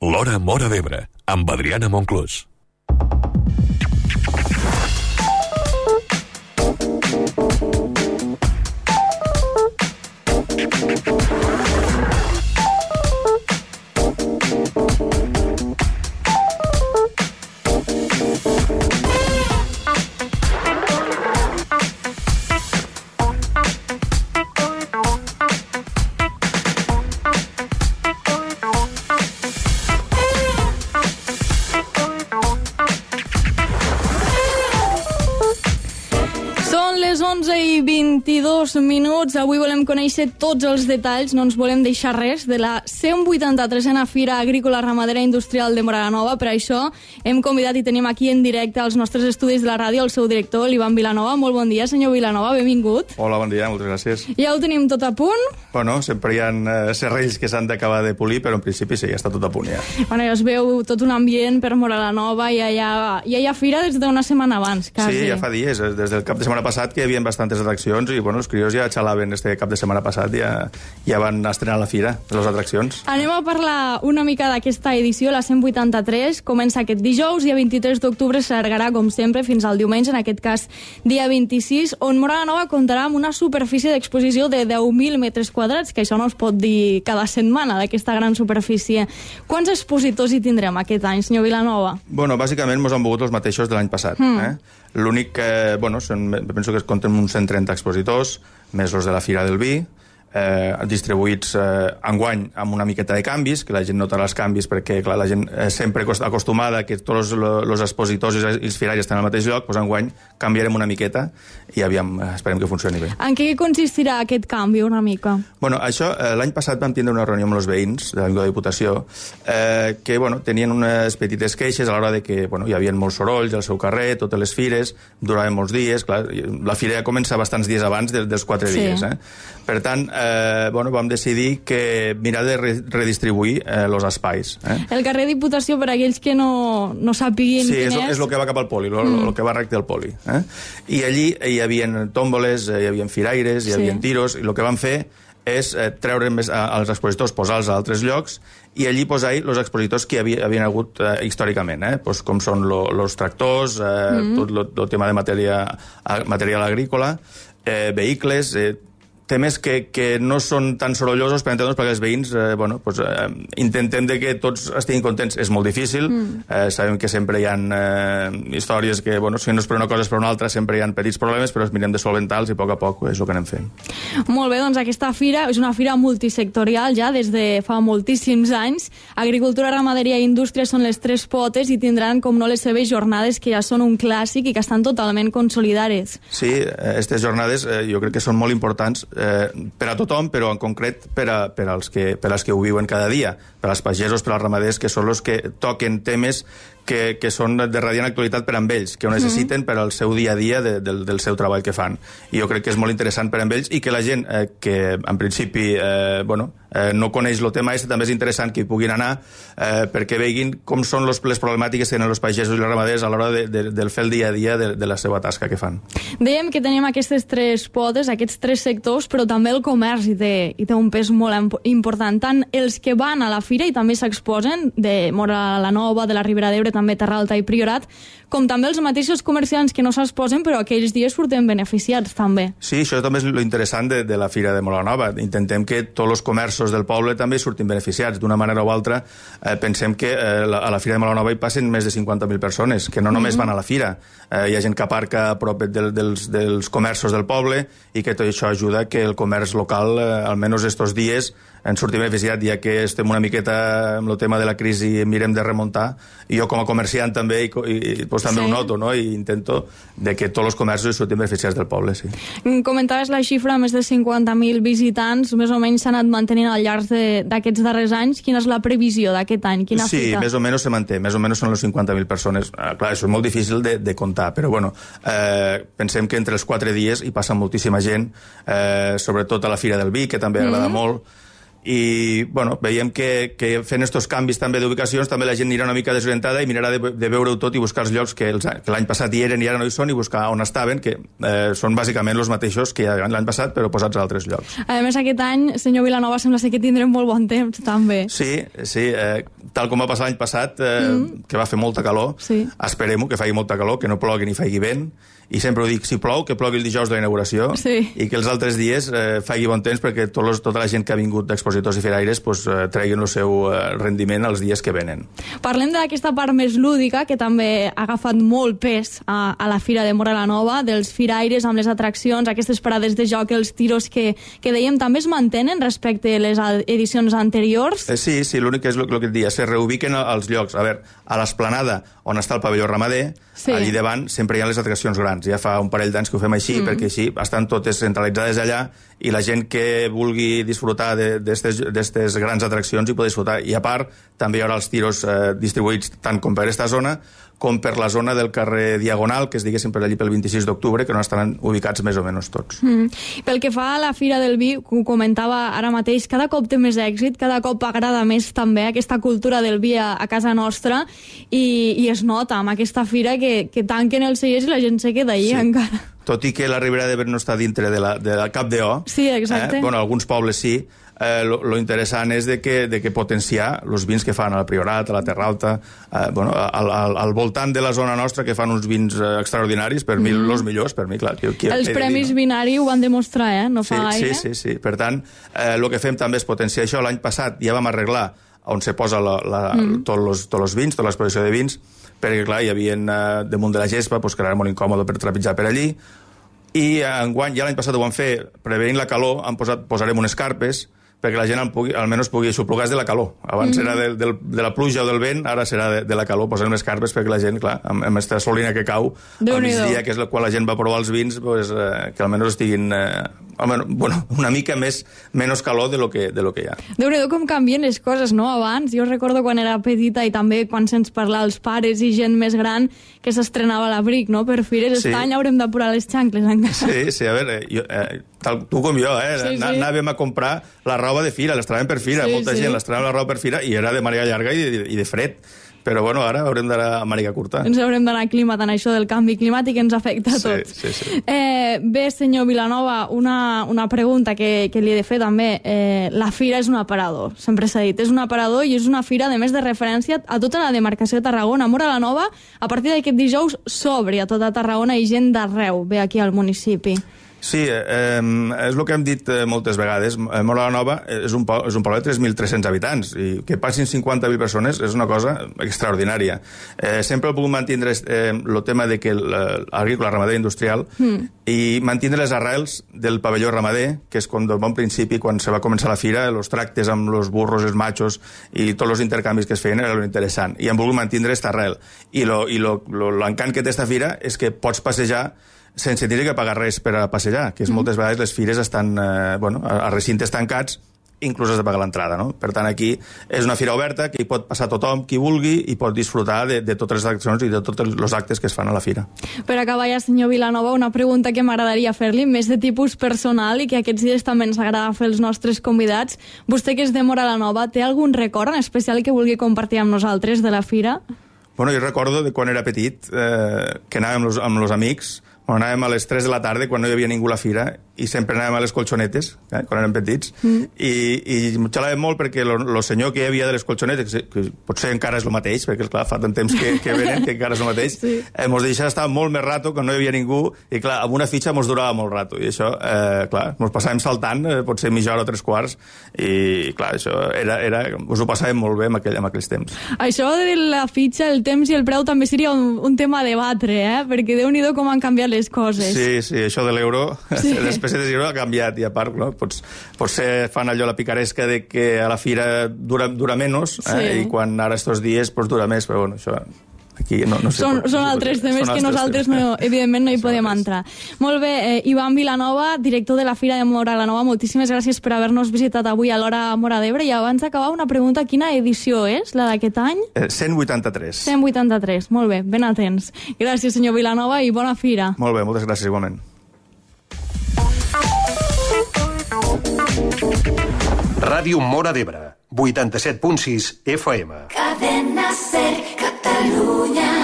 L'Hora Móra d'Ebre, amb Adriana Monclús. Les 11:22. Avui volem conèixer tots els detalls, no ens volem deixar res, de la 183a Fira Agrícola Ramadera Industrial de Móra la Nova. Per això hem convidat i tenim aquí en directe als nostres estudis de la ràdio el seu director, l'Ivan Vilanova. Molt bon dia, senyor Vilanova, benvingut. Hola, bon dia, moltes gràcies. Ja ho tenim tot a punt? Bueno, sempre hi ha serrells que s'han d'acabar de polir, però en principi sí, ja està tot a punt ja. Bueno, ja es veu tot un ambient per Móra la Nova, ja hi ha fira des d'una setmana abans, quasi. Sí, ja fa dies, des del cap de setmana passat que hi havia bastantes atraccions i bueno, els crios ja xalaven este cap de setmana passat, ja van estrenar la fira, les atraccions. Anem a parlar una mica d'aquesta edició, la 183, comença aquest dijous, dia 23 d'octubre, s'allargarà com sempre fins al diumenge, en aquest cas dia 26, on Móra la Nova comptarà amb una superfície d'exposició de 10.000 metres quadrats, que això no es pot dir cada setmana, d'aquesta gran superfície. Quants expositors hi tindrem aquest any, senyor Vilanova? Bueno, bàsicament mos han volgut els mateixos de l'any passat. L'únic que, bueno, penso que es compten uns 130 expositors, més els de la Fira del Vi, distribuïts enguany amb una miqueta de canvis, que la gent notarà els canvis perquè clar, la gent sempre acostumada que tots els expositors i els firaires estan al mateix lloc, doncs enguany canviarem una miqueta i aviam, esperem que funcioni bé. En què consistirà aquest canvi una mica? Bueno, això, l'any passat vam tindre una reunió amb els veïns de la Diputació que bueno, tenien unes petites queixes a l'hora de que bueno, hi havia molts sorolls al seu carrer, totes les fires, duraven molts dies, clar, la fira ja comença bastants dies abans dels 4 dies. Per tant, bueno, vam decidir que mirar de redistribuir els espais. El carrer Diputació, per a aquells que no sàpiguin quin és... Sí, és el que va cap al poli, el que va recte al poli. I allí hi havia tòmboles, hi havia firaires, hi havia tiros, i el que vam fer és treure més als expositors, posar-los a altres llocs, i allí posar-hi els expositors que havien hagut històricament, com són els tractors, tot el tema de material agrícola, vehicles, temes que no són tan sorollosos per entendre'ns, perquè els veïns intentem que tots estiguin contents. És molt difícil, sabem que sempre hi ha històries que, si no és per una cosa és per una altra, sempre hi ha petits problemes, però els mirem de solventar-los i a poc és el que anem fent. Molt bé, doncs aquesta fira és una fira multisectorial ja des de fa moltíssims anys. Agricultura, ramaderia i indústria són les 3 potes i tindran, com no, les seves jornades, que ja són un clàssic i que estan totalment consolidades. Sí, aquestes jornades jo crec que són molt importants per a tothom, però en concret per als que ho viuen cada dia, per als pagesos, per als ramaders, que són els que toquen temes que són de radiant actualitat per amb ells, que ho necessiten per al seu dia a dia del seu treball que fan. I jo crec que és molt interessant per amb ells i que la gent que en principi no coneix el tema també és interessant que hi puguin anar perquè veguin com són les problemàtiques que tenen els pagesos i els ramaders a l'hora de fer el dia a dia de la seva tasca que fan. Dèiem que tenim aquestes 3 potes, aquests 3 sectors, però també el comerç hi té un pes molt important. Tant els que van a la fira i també s'exposen, de Móra la Nova, de la Ribera d'Ebre, també Terra Alta i Priorat, com també els mateixos comerciants que no s'exposen, però aquells dies surten beneficiats també. Sí, això també és l'interessant de la Fira de Móra la Nova. Intentem que tots els comerços del poble també surtin beneficiats. D'una manera o altra, pensem que a la Fira de Móra la Nova hi passen més de 50.000 persones, que no només van a la fira. Hi ha gent que aparca a prop dels comerços del poble i que tot això ajuda que el comerç local, almenys estos dies, en surti beneficiat, ja que estem una miqueta amb el tema de la crisi i mirem de remuntar. I jo com a comerciant també també ho noto, no? I intento que tots els comerços surtin beneficiats del poble, sí. Comentaves la xifra, més de 50.000 visitants, més o menys s'ha anat mantenint al llarg d'aquests darrers anys. Quina és la previsió d'aquest any? Quina fita? Sí, més o menys se manté, més o menys són les 50.000 persones. Clar, això és molt difícil de comptar, però bueno, pensem que entre els 4 dies hi passa moltíssima gent, sobretot a la Fira del Vi, que també agrada molt, i bueno, veiem que fent estos canvis també d'ubicacions també la gent anirà una mica desorientada i mirarà de veure-ho tot i buscar els llocs que l'any passat hi eren i ara no hi són i buscar on estaven, que són bàsicament els mateixos que l'any passat però posats a altres llocs. A més, aquest any, senyor Vilanova, sembla ser que tindrem molt bon temps també. Sí, tal com va passar l'any passat, que va fer molta calor, esperem-ho, que faci molta calor, que no plogui ni faci vent, i sempre ho dic, si plou, que plogui el dijous de la inauguració i que els altres dies faci bon temps perquè tota la gent que ha vingut d'expositors i firaires treguin el seu rendiment els dies que venen. Parlem d'aquesta part més lúdica que també ha agafat molt pes a la Fira de Móra la Nova, dels firaires amb les atraccions, aquestes parades de joc, els tiros que dèiem també es mantenen respecte a les edicions anteriors? Sí, l'únic que és el que et dia, se reubiquen als llocs. A veure, a l'esplanada on està el pavelló ramader, allí davant sempre hi ha les atraccions grans. Ja fa un parell d'anys que ho fem així, perquè així estan totes centralitzades allà i la gent que vulgui disfrutar d'aquestes grans atraccions hi pot disfrutar. I a part, també hi haurà els tiros distribuïts tant com per aquesta zona com per la zona del carrer Diagonal, que es diguéssim per allí pel 26 d'octubre, que no estaran ubicats més o menys tots. Pel que fa a la Fira del Vi, ho comentava ara mateix, cada cop té més èxit, cada cop agrada més també aquesta cultura del vi a casa nostra i es nota amb aquesta fira que tanquen els cellers i la gent se queda allí encara. Tot i que la Ribera d'Ebre no està dintre de la Cap d'O. Sí, exacte. Bueno, alguns pobles sí. Lo interessant és de que potenciar els vins que fan a la Priorat, a la Terra Alta, al voltant de la zona nostra, que fan uns vins extraordinaris, per mi els millors, per mi, clar. Els Premis Vinari ho van demostrar, no fa gaire. Sí. Per tant, el que fem també és potenciar això. L'any passat ja vam arreglar on se posa tots els vins, tota l'exposició de vins, perquè, clar, hi havia damunt de la gespa, que era molt incòmode per trepitjar per allí, i enguany, ja l'any passat ho vam fer, prevenint la calor, posarem unes carpes, perquè la gent almenys pugui aixoplugar de la calor. Abans era de la pluja o del vent, ara serà de la calor. Posem les carpes perquè la gent, clar, amb aquesta solina que cau al migdia, que és quan la gent va provar els vins, que almenys estiguin una mica menys calor de lo que hi ha. Déu-n'hi-do com canvien les coses, no? Abans, jo recordo quan era petita i també quan se'ns parlava els pares i gent més gran que s'estrenava l'abric, no? Per fires, aquest any haurem d'apurar les xancles encara. Sí, a veure, tu com jo, anàvem a comprar la roba de fira, les traiem per fira, molta gent les traiem la roba per fira i era de màniga llarga i de fred. Però bueno, ara haurem d'anar a màniga curta. Ens haurem d'anar aclimatant això del canvi climàtic que ens afecta a tots. Sí. Bé, senyor Vilanova, una pregunta que li he de fer també. La fira és un aparador, sempre s'ha dit. És un aparador i és una fira, a més de referència a tota la demarcació de Tarragona. Móra la Nova, a partir d'aquest dijous, s'obre a tota Tarragona i gent d'arreu ve aquí al municipi. Sí, és el que hem dit moltes vegades. Móra la Nova és un poble de 3.300 habitants i que passin 50.000 persones és una cosa extraordinària. Sempre he pogut mantenir el tema de que l'agrícola, ramader industrial i mantenir les arrels del pavelló ramader, que és com del bon principi, quan se va començar la fira, els tractes amb els burros, els machos i tots els intercanvis que es feien era interessant. I hem volgut mantenir aquesta arrel. I l'encant que té aquesta fira és que pots passejar sense tenir que pagar res per a passejar, que és moltes vegades les fires estan a recintes tancats, inclús has de pagar l'entrada, no? Per tant, aquí és una fira oberta que hi pot passar tothom, qui vulgui, i pot disfrutar de totes les accions i de tots els actes que es fan a la fira. Per acabar ja, senyor Vilanova, una pregunta que m'agradaria fer-li, més de tipus personal i que aquests dies també ens agrada fer els nostres convidats. Vostè, que és de Móra la Nova, té algun record en especial que vulgui compartir amb nosaltres de la fira? Bueno, jo recordo de quan era petit, que anàvem amb els amics, anàvem a les 3 de la tarda, quan no hi havia ningú a la fira, i sempre anàvem a les colxonetes, quan érem petits, i xalàvem molt perquè el senyor que hi havia de les colxonetes, que potser encara és el mateix, perquè esclar, fa tant temps que venen, que encara és el mateix, mos deixava estar molt més rato quan no hi havia ningú, i clar, amb una fitxa mos durava molt rato, i això, clar, mos passàvem saltant, potser mitja hora o 3/4, i clar, això us ho passàvem molt bé en aquells temps. Això de la fitxa, el temps i el preu també seria un tema a debatre, perquè Déu-n'hi-do com han canviat les coses. Sí, això de l'euro, les pessetes d'euro ha canviat, i a part, no? Potser fan allò la picaresca de que a la fira dura menys, i quan ara estos dies dura més, però bueno, això aquí no sé. Són altres temes que nosaltres evidentment no hi podem entrar. Molt bé, Ivan Vilanova, director de la Fira de Móra la Nova, moltíssimes gràcies per haver-nos visitat avui a l'Hora Móra d'Ebre, i abans d'acabar una pregunta, quina edició és, la d'aquest any? 183. 183, molt bé, ben atents. Gràcies, senyor Vilanova, i bona fira. Molt bé, moltes gràcies igualment. Ràdio Móra d'Ebre, 87.6 FM. Cadena Ser, Catalunya.